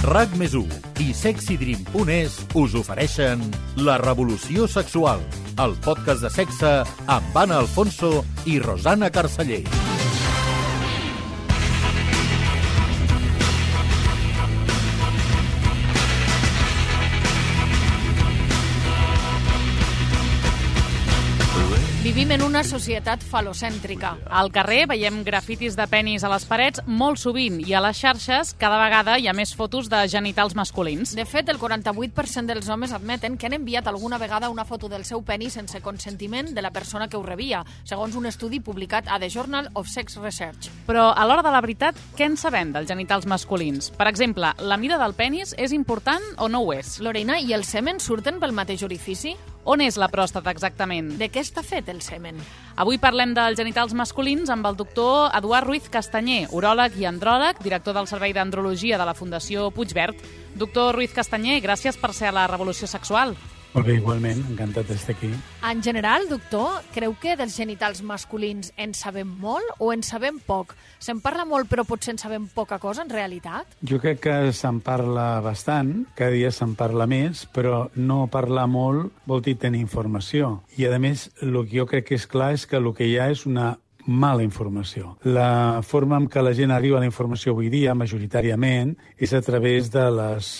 RAC+1 i SexyDream.es us ofereixen La Revolució Sexual, el podcast de sexe amb Anna Alfonso i Rosana Carceller. Vivim en una societat falocèntrica. Al carrer veiem grafitis de penis a les parets molt sovint i a les xarxes cada vegada hi ha més fotos de genitals masculins. De fet, el 48% dels homes admeten que han enviat alguna vegada una foto del seu penis sense consentiment de la persona que ho rebia, segons un estudi publicat a The Journal of Sex Research. Però a l'hora de la veritat, què en sabem dels genitals masculins? Per exemple, la mida del penis és important o no ho és? L'orina i el semen surten pel mateix orifici? On és la pròstata exactament? De què està fet el semen? Avui parlem dels genitals masculins amb el doctor Eduard Ruiz Castanyer, uròleg i andròleg, director del Servei d'Andrologia de la Fundació Puigverd. Doctor Ruiz Castanyer, gràcies per ser a la Revolució Sexual. Molt bé, igualment, encantat d'estar aquí. En general, doctor, creu que dels genitals masculins en sabem molt o en sabem poc? Se'n parla molt, però potser en sabem poca cosa, en realitat? Jo crec que se'n parla bastant, cada dia se'n parla més, però no parlar molt vol dir tenir informació. I, a més, el que jo crec que és clar és que el que hi ha és una mala informació. La forma en què la gent arriba a la informació avui dia, majoritàriament, és a través de les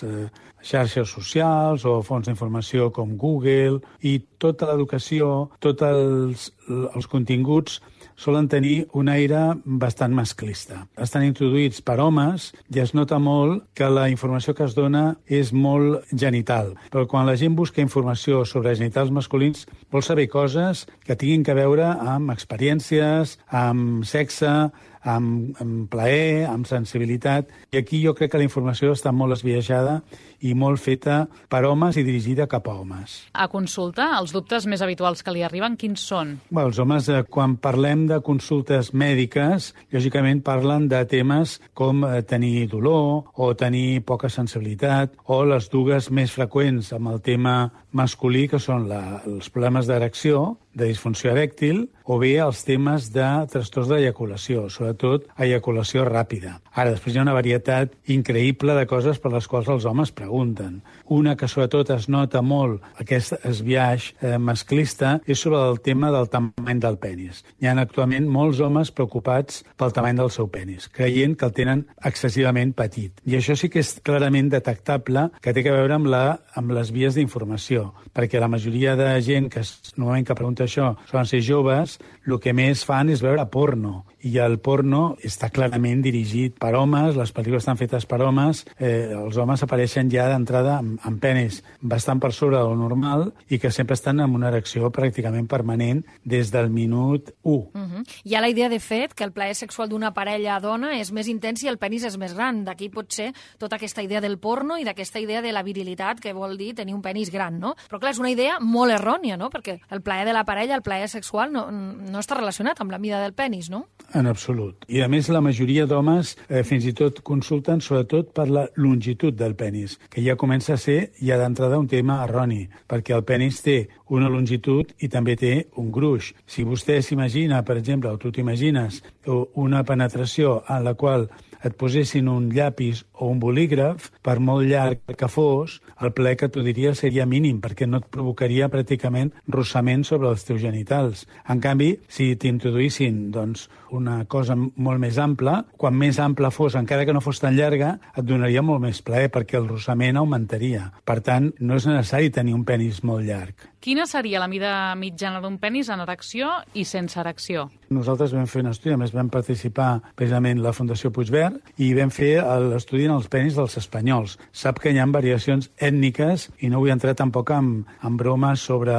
xarxes socials o fonts d'informació com Google, i tota l'educació, tots els continguts solen tenir un aire bastant masclista. Estan introduïts per homes i es nota molt que la informació que es dona és molt genital. Però quan la gent busca informació sobre genitals masculins vol saber coses que tinguin a veure amb experiències, amb sexe, amb plaer, amb sensibilitat. I aquí jo crec que la informació està molt esbiaixada i molt feta per homes i dirigida cap a homes. A consulta, els dubtes més habituals que li arriben, quins són? Bé, els homes, quan parlem de consultes mèdiques, lògicament parlen de temes com tenir dolor o tenir poca sensibilitat, o les dues més freqüents amb el tema masculí, que són els problemes d'erecció, de disfunció erèctil, o bé els temes de trastorns d'eyaculació, sobretot eyaculació ràpida. Ara, després hi ha una varietat increïble de coses per les quals els homes pregunten. Una que sobretot es nota molt, aquest esbiaix masclista, és sobre el tema del tamany del penis. Hi ha actualment molts homes preocupats pel tamany del seu penis, creient que el tenen excessivament petit. I això sí que és clarament detectable, que té a veure amb les vies d'informació, perquè la majoria de gent que normalment que pregunta això solen ser joves, el que més fan és veure porno. I el porno està clarament dirigit per homes, les pel·lícules estan fetes per homes, els homes apareixen ja d'entrada amb penis bastant per sobre del normal i que sempre estan amb una erecció pràcticament permanent des del minut 1. Hi ha la idea, de fet, que el plaer sexual d'una parella dona és més intens i el penis és més gran. D'aquí pot ser tota aquesta idea del porno i d'aquesta idea de la virilitat, que vol dir tenir un penis gran, no? Però clar, és una idea molt errònia, no? Perquè el plaer de la parella, el plaer sexual, no està relacionat amb la mida del penis, no? En absolut. I a més la majoria d'homes fins i tot consulten sobretot per la longitud del penis, que ja comença a ser ja d'entrada un tema erroni, perquè el penis té una longitud i també té un gruix. Si vostè s'imagina, per exemple, o tu t'imagines una penetració en la qual et posessin un llapis o un bolígraf, per molt llarg que fos, el plaer que tu diries seria mínim, perquè no et provocaria pràcticament rossament sobre els teus genitals. En canvi, si t'introduïssin una cosa molt més ampla, quan més ampla fos, encara que no fos tan llarga, et donaria molt més plaer, perquè el rossament augmentaria. Per tant, no és necessari tenir un penis molt llarg. Quina seria la mida mitjana d'un penis en erecció i sense erecció? Nosaltres vam fer un estudi, a més vam participar precisament la Fundació Puigverd, i vam fer l'estudi en els penis dels espanyols. Sap que hi ha variacions ètniques i no vull entrar tampoc en bromes sobre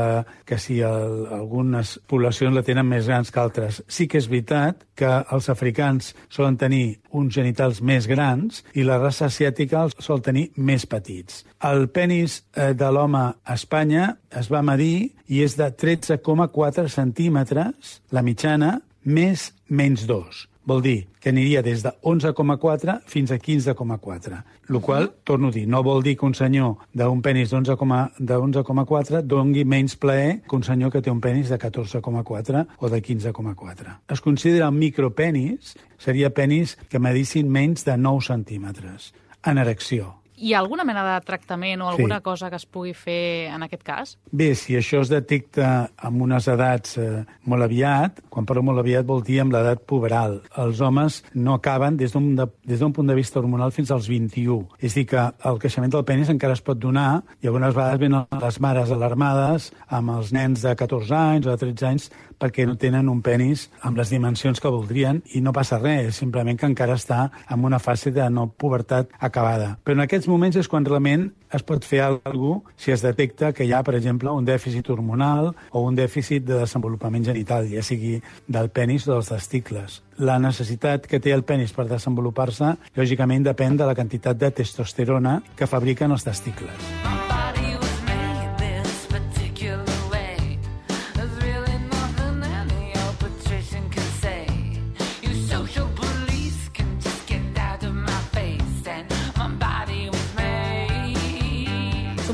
que si algunes poblacions la tenen més grans que altres. Sí que és veritat que els africans solen tenir uns genitals més grans i la raça asiàtica els sol tenir més petits. El penis de l'home a Espanya es va medir i és de 13,4 centímetres, la mitjana, menys 2. Vol dir que aniria des de 11,4 fins a 15,4. El qual, torno a dir, no vol dir que un senyor d'un penis d'11,4 doni menys plaer que un senyor que té un penis de 14,4 o de 15,4. Es considera un micropenis, seria penis que medissin menys de 9 centímetres en erecció. Hi ha alguna mena de tractament o alguna cosa que es pugui fer en aquest cas? Bé, si això es detecta amb unes edats molt aviat, quan parlo molt aviat vol dir amb l'edat puberal. Els homes no acaben des d'un punt de vista hormonal fins als 21. És a dir, que el creixement del penis encara es pot donar i algunes vegades venen les mares alarmades amb els nens de 14 anys o de 13 anys perquè no tenen un penis amb les dimensions que voldrien i no passa res, simplement que encara està en una fase de no pubertat acabada. Però en aquests moments és quan realment es pot fer alguna cosa si es detecta que hi ha, per exemple, un dèficit hormonal o un dèficit de desenvolupament genital, ja sigui del penis o dels testicles. La necessitat que té el penis per desenvolupar-se, lògicament, depèn de la quantitat de testosterona que fabriquen els testicles.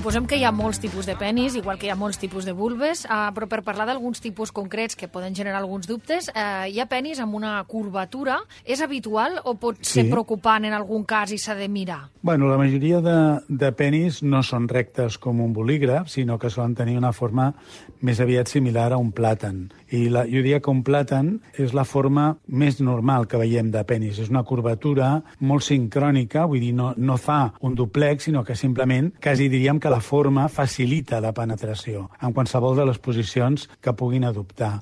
Suposem que hi ha molts tipus de penis, igual que hi ha molts tipus de vulves, però per parlar d'alguns tipus concrets que poden generar alguns dubtes, hi ha penis amb una curvatura. És habitual o pot ser preocupant en algun cas i s'ha de mirar? Bueno, la majoria de penis no són rectes com un bolígraf, sinó que solen tenir una forma més aviat similar a un plàtan. I jo diria que un plàtan és la forma més normal que veiem de penis. És una curvatura molt sincrònica, vull dir, no fa un duplex, sinó que simplement, quasi diríem que la forma facilita la penetració en qualsevol de les posicions que puguin adoptar.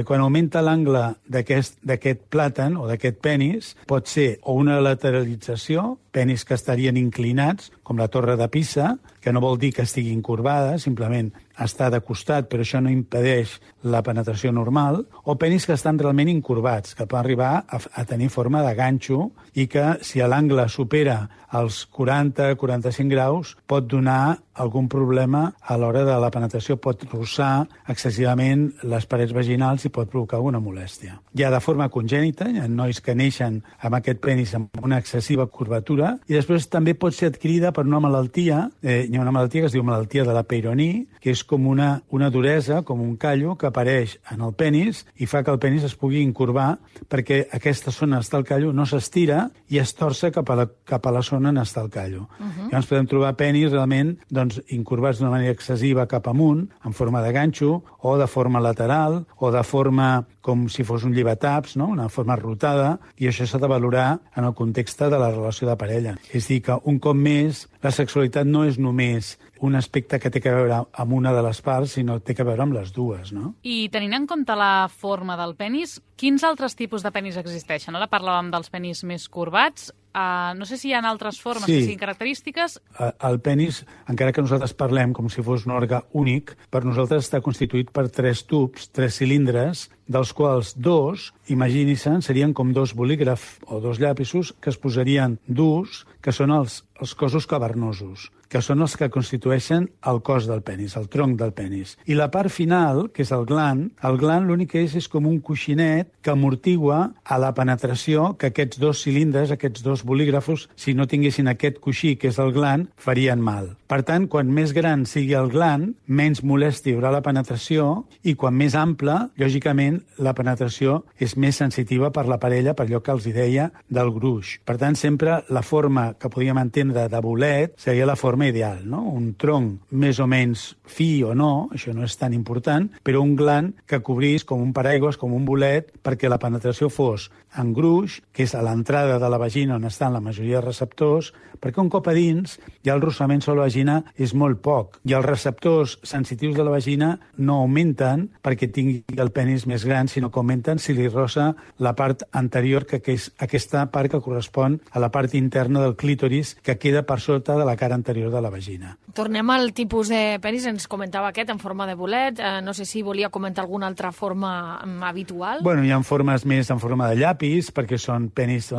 Quan augmenta l'angle d'aquest plàtan o d'aquest penis, pot ser o una lateralització, penis que estarien inclinats, com la torre de Pisa, que no vol dir que estiguin corbada, simplement està de costat, però això no impedeix la penetració normal, o penis que estan realment incurvats, que poden arribar a tenir forma de ganxo i que, si l'angle supera els 40-45 graus, pot donar algun problema a l'hora de la penetració, pot rossar excessivament les parets vaginals i pot provocar alguna molèstia. Hi ha de forma congènita, hi ha nois que neixen amb aquest penis amb una excessiva curvatura, i després també pot ser adquirida per una malaltia, hi ha una malaltia que es diu malaltia de la Peyronie, que és com una duresa, com un callo, que apareix en el penis i fa que el penis es pugui incurvar perquè aquesta zona està al callo, no s'estira i es torça cap a la zona on està el callo. Llavors podem trobar penis realment incurvats d'una manera excessiva cap amunt, en forma de ganxo, o de forma lateral, o de forma com si fos un llevataps, no? Una forma rotada, i això s'ha de valorar en el context de la relació de parella. És a dir, que un cop més, la sexualitat no és només un aspecte que té a veure amb una de les parts, sinó que té a veure amb les dues, no? I tenint en compte la forma del penis, quins altres tipus de penis existeixen? Ara parlàvem dels penis més corbats. No sé si hi ha altres formes que siguin característiques. El penis, encara que nosaltres parlem com si fos un òrgan únic, per nosaltres està constituït per 3 tubs, 3 cilindres, dels quals 2, imagini-se'n, serien com 2 bolígrafs o 2 llapisos que es posarien durs, que són els cossos cavernosos, que són els que constitueixen el cos del penis, el tronc del penis. I la part final, que és el gland l'únic que és com un coixinet que amortigua a la penetració que aquests 2 cilindres, aquests 2 bolígrafos, si no tinguessin aquest coixí, que és el gland, farien mal. Per tant, quan més gran sigui el gland, menys molèstia hi haurà la penetració i quan més ample, lògicament, la penetració és més sensitiva per la parella, per allò que els deia del gruix. Per tant, sempre la forma que podíem entendre de bolet seria la forma ideal, no? Un tronc més o menys fi o no, això no és tan important, però un gland que cobrís com un paraigües, com un bolet, perquè la penetració fos en gruix, que és a l'entrada de la vagina on estan la majoria de receptors, perquè un cop a dins ja el rossament sobre la vagina és molt poc, i els receptors sensitius de la vagina no augmenten perquè tingui el penis més gran, sinó que augmenten si li rossa la part anterior, que és aquesta part que correspon a la part interna del clítoris, que queda per sota de la cara anterior de la vagina. Tornem al tipus de penis, ens comentava aquest en forma de bolet, no sé si volia comentar alguna altra forma habitual. Bueno, hi ha formes més en forma de llapis, perquè són penis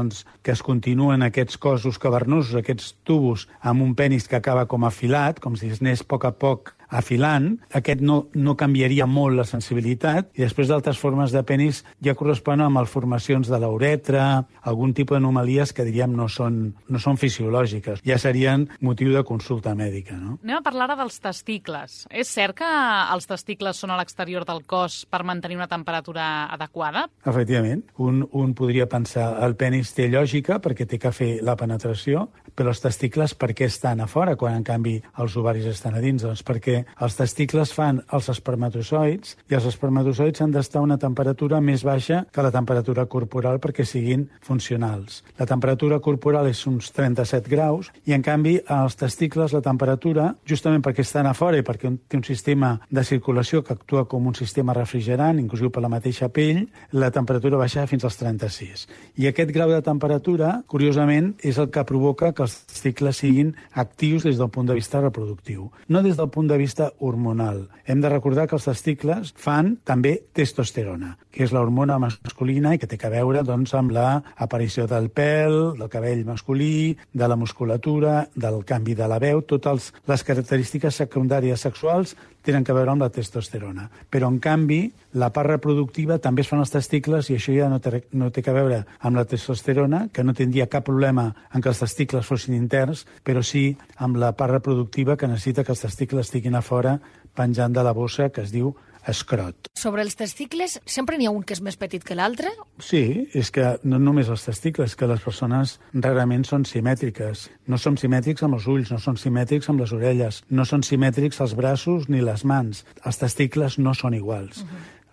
que es continuen aquests cossos cavernosos, aquests tubos, amb un penis que acaba com afilat, com si es anés a poc afilant. Aquest no canviaria molt la sensibilitat, i després d'altres formes de penis ja corresponen amb malformacions de l'uretra, algun tipus d'anomalies que diríem no són fisiològiques, ja serien motiu de consulta mèdica, no? Anem a parlar ara dels testicles. És cert que els testicles són a l'exterior del cos per mantenir una temperatura adequada? Efectivament. Un podria pensar el penis té lògica perquè té que fer la penetració, Però els testicles per què estan a fora quan, en canvi, els ovaris estan a dins? Doncs perquè els testicles fan els espermatozoids i els espermatozoids han d'estar a una temperatura més baixa que la temperatura corporal perquè siguin funcionals. La temperatura corporal és uns 37 graus i, en canvi, als testicles la temperatura, justament perquè estan a fora i perquè té un sistema de circulació que actua com un sistema refrigerant, inclusiu per la mateixa pell, la temperatura baixa fins als 36. I aquest grau de temperatura, curiosament, és el que provoca que els testicles siguin actius des del punt de vista reproductiu, no des del punt de vista hormonal. Hem de recordar que els testicles fan també testosterona, que és l'hormona masculina i que té a veure amb l'aparició del pèl, del cabell masculí, de la musculatura, del canvi de la veu. Totes les característiques secundàries sexuals tenen a veure amb la testosterona. Però, en canvi, la part reproductiva també es fan els testicles i això ja no té a veure amb la testosterona, que no tindria cap problema en que els testicles fossin interns, però sí amb la part reproductiva que necessita que els testicles estiguin a fora penjant de la bossa que es diu escrot. Sobre els testicles, sempre n'hi ha un que és més petit que l'altre? Sí, és que no només els testicles, que les persones rarament són simètriques. No som simètrics amb els ulls, no som simètrics amb les orelles, no són simètrics els braços ni les mans. Els testicles no són iguals.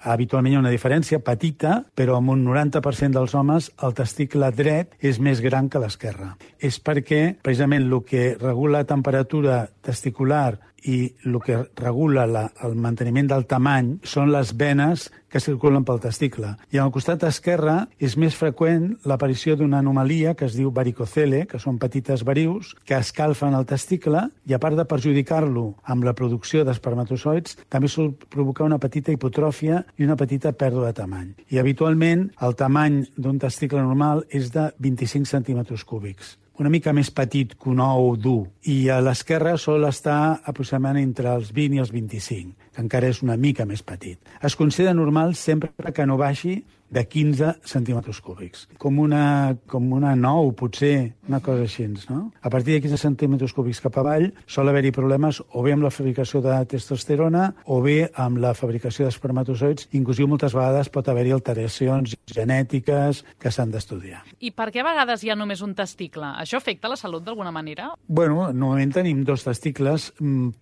Habitualment hi ha una diferència petita, però amb un 90% dels homes el testicle dret és més gran que l'esquerre. És perquè, precisament, el que regula la temperatura testicular i el que regula el manteniment del tamany són les venes que circulen pel testicle. I al costat esquerre és més freqüent l'aparició d'una anomalia que es diu varicocele, que són petites varius que escalfen el testicle i, a part de perjudicar-lo amb la producció d'espermatozoids, també sol provocar una petita hipotròfia i una petita pèrdua de tamany. I habitualment el tamany d'un testicle normal és de 25 centímetres cúbics, una mica més petit que un ou dur, i a l'esquerra sol estar aproximadament entre els 20 i els 25, que encara és una mica més petit. Es considera normal sempre que no baixi de 15 centímetres cúbics. Com una 9, potser, una cosa així, no? A partir de 15 centímetres cúbics cap avall sol haver-hi problemes o bé amb la fabricació de testosterona o bé amb la fabricació d'espermatozoids. Inclusive moltes vegades pot haver-hi alteracions genètiques que s'han d'estudiar. I per què a vegades hi ha només un testicle? Això afecta la salut d'alguna manera? Bueno, normalment tenim dos testicles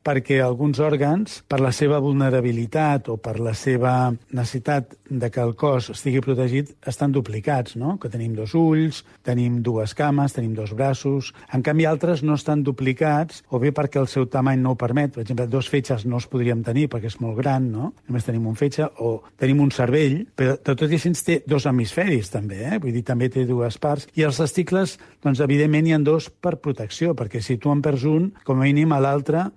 perquè alguns òrgans, per la seva vulnerabilitat o per la seva necessitat de que el cos estigui protegit, estan duplicats, no? Que tenim dos ulls, tenim dues cames, tenim dos braços. En canvi, altres no estan duplicats, o bé perquè el seu tamany no ho permet. Per exemple, dos fetges no els podríem tenir perquè és molt gran, no? Només tenim un fetge, o tenim un cervell, però tot i així té dos hemisferis, també, Vull dir, també té dues parts. I els testicles, doncs, evidentment, hi ha dos per protecció, perquè si tu en perds un, com a mínim a l'altre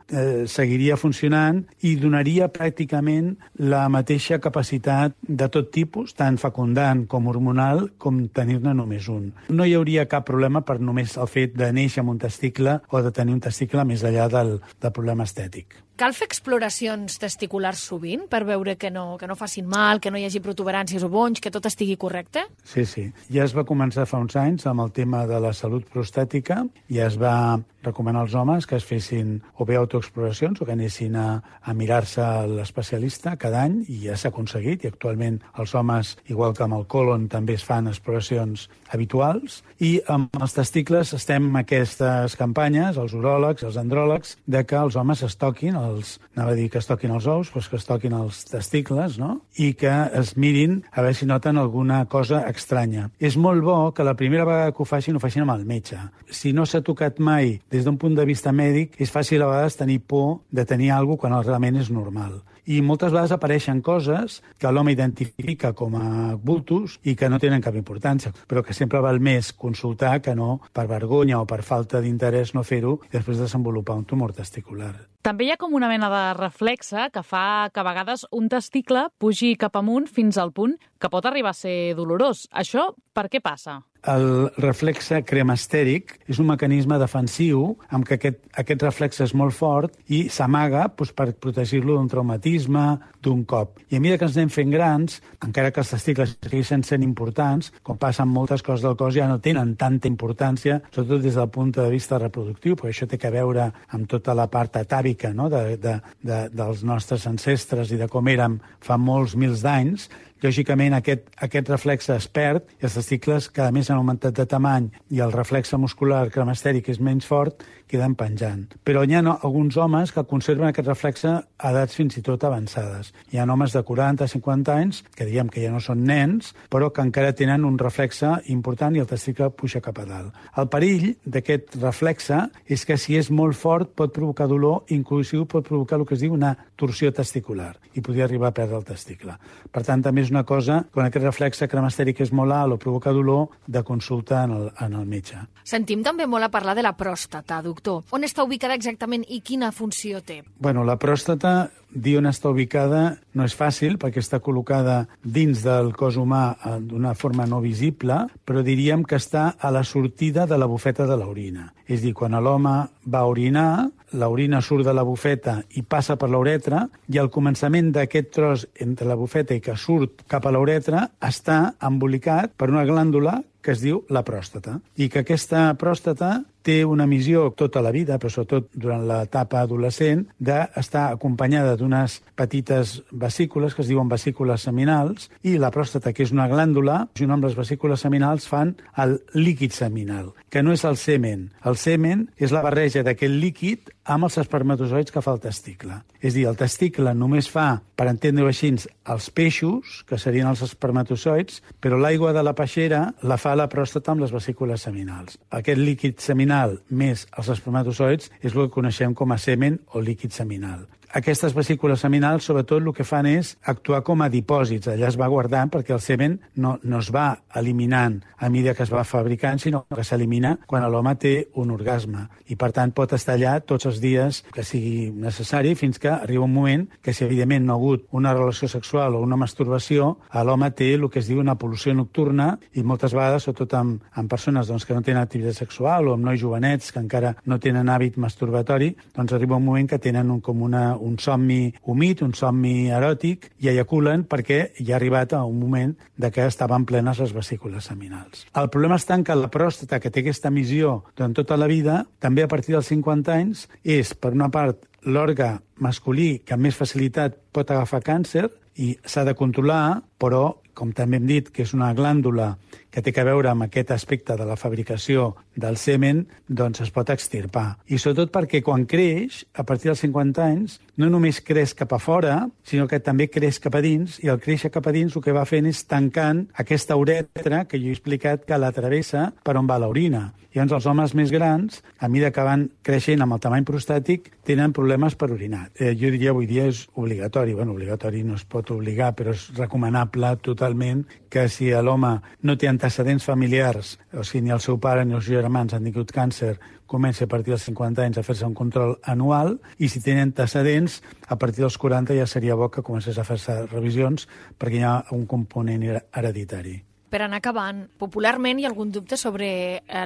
seguiria funcionant i donaria pràcticament la mateixa capacitat de tot tipus, tant fecundant com hormonal, com tenir-ne només un. No hi hauria cap problema per només el fet de néixer amb un testicle o de tenir un testicle més enllà del problema estètic. Cal fer exploracions testiculars sovint per veure que no facin mal, que no hi hagi protuberàncies o bonys, que tot estigui correcte? Sí. Ja es va començar fa uns anys amb el tema de la salut prostàtica i es va recomanar als homes que es fessin o bé autoexploracions o que anessin a mirar-se l'especialista cada any, i ja s'ha aconseguit, i actualment els homes, igual que amb el colon, també es fan exploracions habituals, i amb els testicles estem en aquestes campanyes, els uròlegs, els andròlegs, de que els homes es toquin, anava a dir que es toquin els ous, però que es toquin els testicles, no? I que es mirin a veure si noten alguna cosa estranya. És molt bo que la primera vegada que ho facin amb el metge. Si no s'ha tocat mai des d'un punt de vista mèdic, és fàcil a vegades tenir por de tenir alguna cosa quan realment és normal. I moltes vegades apareixen coses que l'home identifica com a bultos i que no tenen cap importància, però que sempre val més consultar que no, per vergonya o per falta d'interès, no fer-ho i després desenvolupar un tumor testicular. També hi ha com una mena de reflexe que fa que a vegades un testicle pugi cap amunt fins al punt que pot arribar a ser dolorós. Això per què passa? El reflexe cremastèric és un mecanisme defensiu amb què aquest reflexe és molt fort i s'amaga per protegir-lo d'un traumatisme, d'un cop. I a mesura que ens anem fent grans, encara que els testicles segueixen sent importants, com passa amb moltes coses del cos, ja no tenen tanta importància, sobretot des del punt de vista reproductiu, perquè això té a veure amb tota la part atàvica, no? dels nostres ancestres i de com érem fa molts mils d'anys. lògicament aquest reflexe es perd i els testicles cada mes han augmentat de tamany i el reflexe muscular cremastèric és menys fort, queden penjant. Però hi ha alguns homes que conserven aquest reflexe a edats fins i tot avançades. Hi ha homes de 40-50 anys, que diem que ja no són nens, però que encara tenen un reflexe important i el testicle puja cap a dalt. El perill d'aquest reflexe és que si és molt fort pot provocar dolor, inclusiu pot provocar el que es diu una torsió testicular i podria arribar a perdre el testicle. Per tant, també és una cosa, quan aquest reflexe cremastèric és molt alt o provoca dolor, de consulta en el metge. Sentim també molt a parlar de la pròstata, doctor. On està ubicada exactament i quina funció té? Bueno, la pròstata, dir on està ubicada no és fàcil perquè està col·locada dins del cos humà d'una forma no visible, però diríem que està a la sortida de la bufeta de l'orina. És a dir, quan l'home va orinar, l'orina surt de la bufeta i passa per l'uretra, i al començament d'aquest tros entre la bufeta i que surt cap a l'uretra està embolicat per una glàndula que es diu la pròstata, i que aquesta pròstata té una missió tota la vida, però sobretot durant l'etapa adolescent, d'estar acompanyada d'unes petites vesícules que es diuen vesícules seminals, i la pròstata, que és una glàndula, junt amb les vesícules seminals fan el líquid seminal, que no és el semen. El semen és la barreja d'aquest líquid amb els espermatozoids que fa el testicle. És a dir, el testicle només fa, per entendre-ho així, els peixos, que serien els espermatozoids, però l'aigua de la peixera la fa la pròstata amb les vesícules seminals. Aquest líquid seminal més els espermatozoids és el que coneixem com a semen o líquid seminal. Aquestes vesícules seminals, sobretot, el que fan és actuar com a dipòsits. Allà es va guardant perquè el semen no es va eliminant a mesura que es va fabricant, sinó que s'elimina quan l'home té un orgasme. I, per tant, pot estar allà tots els dies que sigui necessari fins que arriba un moment que, si evidentment no ha hagut una relació sexual o una masturbació, l'home té el que es diu una pol·lució nocturna i moltes vegades, sobretot amb persones que no tenen activitat sexual o amb nois jovenets que encara no tenen hàbit masturbatori, doncs arriba un moment que tenen un somni humit, un somni eròtic, i ejaculen perquè ja ha arribat a un moment de que estaven plenes les vesícules seminals. El problema està en que la pròstata, que té aquesta missió durant tota la vida, també a partir dels 50 anys, és, per una part, l'òrgan masculí que amb més facilitat pot agafar càncer i s'ha de controlar, però, com també hem dit, que és una glàndula que té a veure amb aquest aspecte de la fabricació del semen, doncs es pot extirpar. I sobretot perquè quan creix, a partir dels 50 anys, no només creix cap a fora, sinó que també creix cap a dins, i al créixer cap a dins el que va fent és tancant aquesta uretra que jo he explicat que la travessa per on va l'orina. Llavors els homes més grans, a mesura que van creixent amb el tamany prostàtic, tenen problemes per orinar. Jo diria avui dia és obligatori. Bueno, obligatori no es pot obligar, però és recomanable totalment que si l'home no té antecedents familiars, o sigui, ni el seu pare ni els seus germans han tingut càncer, comença a partir dels 50 anys a fer-se un control anual, i si tenen antecedents, a partir dels 40 ja seria bo que comencés a fer-se revisions perquè hi ha un component hereditari. Per anar acabant, popularment hi ha algun dubte sobre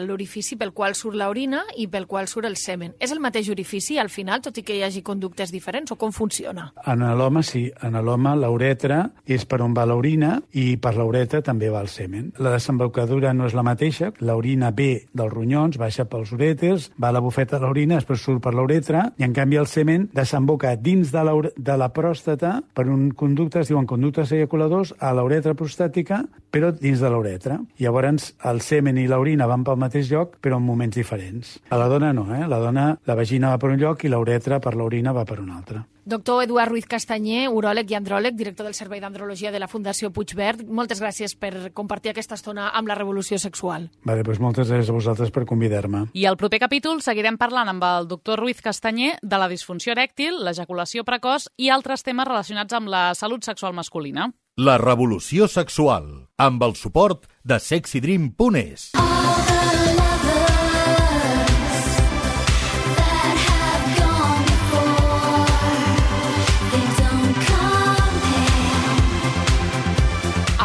l'orifici pel qual surt l'orina i pel qual surt el semen. És el mateix orifici al final, tot i que hi hagi conductes diferents, o com funciona? En l'home sí. En l'home l'uretra és per on va l'orina i per l'uretra també va el semen. La desembocadura no és la mateixa. L'orina ve dels ronyons, baixa pels urèters, va a la bufeta de l'orina, després surt per l'uretra, i en canvi el semen desemboca dins de la pròstata per un conducte, es diuen conductes ejaculadors, a l'uretra prostàtica, però dins de l'uretra. Llavors, el semen i l'orina van pel mateix lloc, però en moments diferents. A la dona no, La dona, la vagina va per un lloc i l'uretra per l'orina va per un altre. Doctor Eduard Ruiz Castanyer, uròleg i andròleg, director del Servei d'Andrologia de la Fundació Puigverd, moltes gràcies per compartir aquesta estona amb la revolució sexual. Vale, doncs moltes gràcies a vosaltres per convidar-me. I al proper capítol seguirem parlant amb el doctor Ruiz Castanyer de la disfunció erèctil, l'ejaculació precoç i altres temes relacionats amb la salut sexual masculina. La revolució sexual, amb el suport de sexydream.es.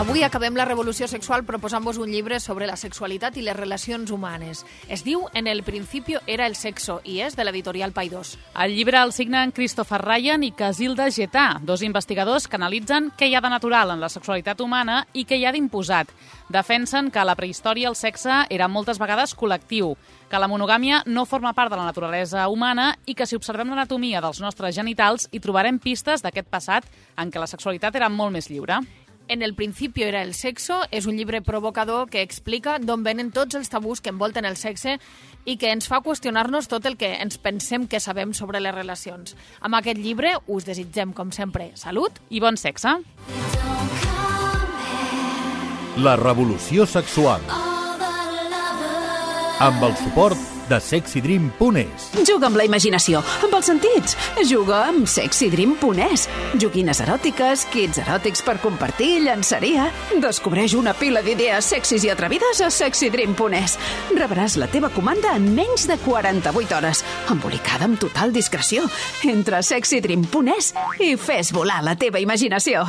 Avui acabem la revolució sexual proposant-vos un llibre sobre la sexualitat i les relacions humanes. Es diu En el principio era el sexo i és de l'editorial Paidós. El llibre el signen Christopher Ryan i Casilda Getà, dos investigadors que analitzen què hi ha de natural en la sexualitat humana i què hi ha d'imposat. Defensen que a la prehistòria el sexe era moltes vegades col·lectiu, que la monogàmia no forma part de la naturalesa humana i que si observem l'anatomia dels nostres genitals hi trobarem pistes d'aquest passat en què la sexualitat era molt més lliure. En el principio era el sexo és un llibre provocador que explica d'on venen tots els tabús que envolten el sexe i que ens fa qüestionar-nos tot el que ens pensem que sabem sobre les relacions. Amb aquest llibre us desitgem, com sempre, salut i bon sexe. La revolució sexual. Amb el suport de sexydream.es. Juga amb la imaginació, amb els sentits. Juga amb sexydream.es. Joguines eròtiques, kits eròtics per compartir, llançaria. Descobreix una pila d'idees sexis i atrevides a sexydream.es. Rebràs la teva comanda en menys de 48 hores, embolicada amb total discreció. Entra a sexydream.es i fes volar la teva imaginació.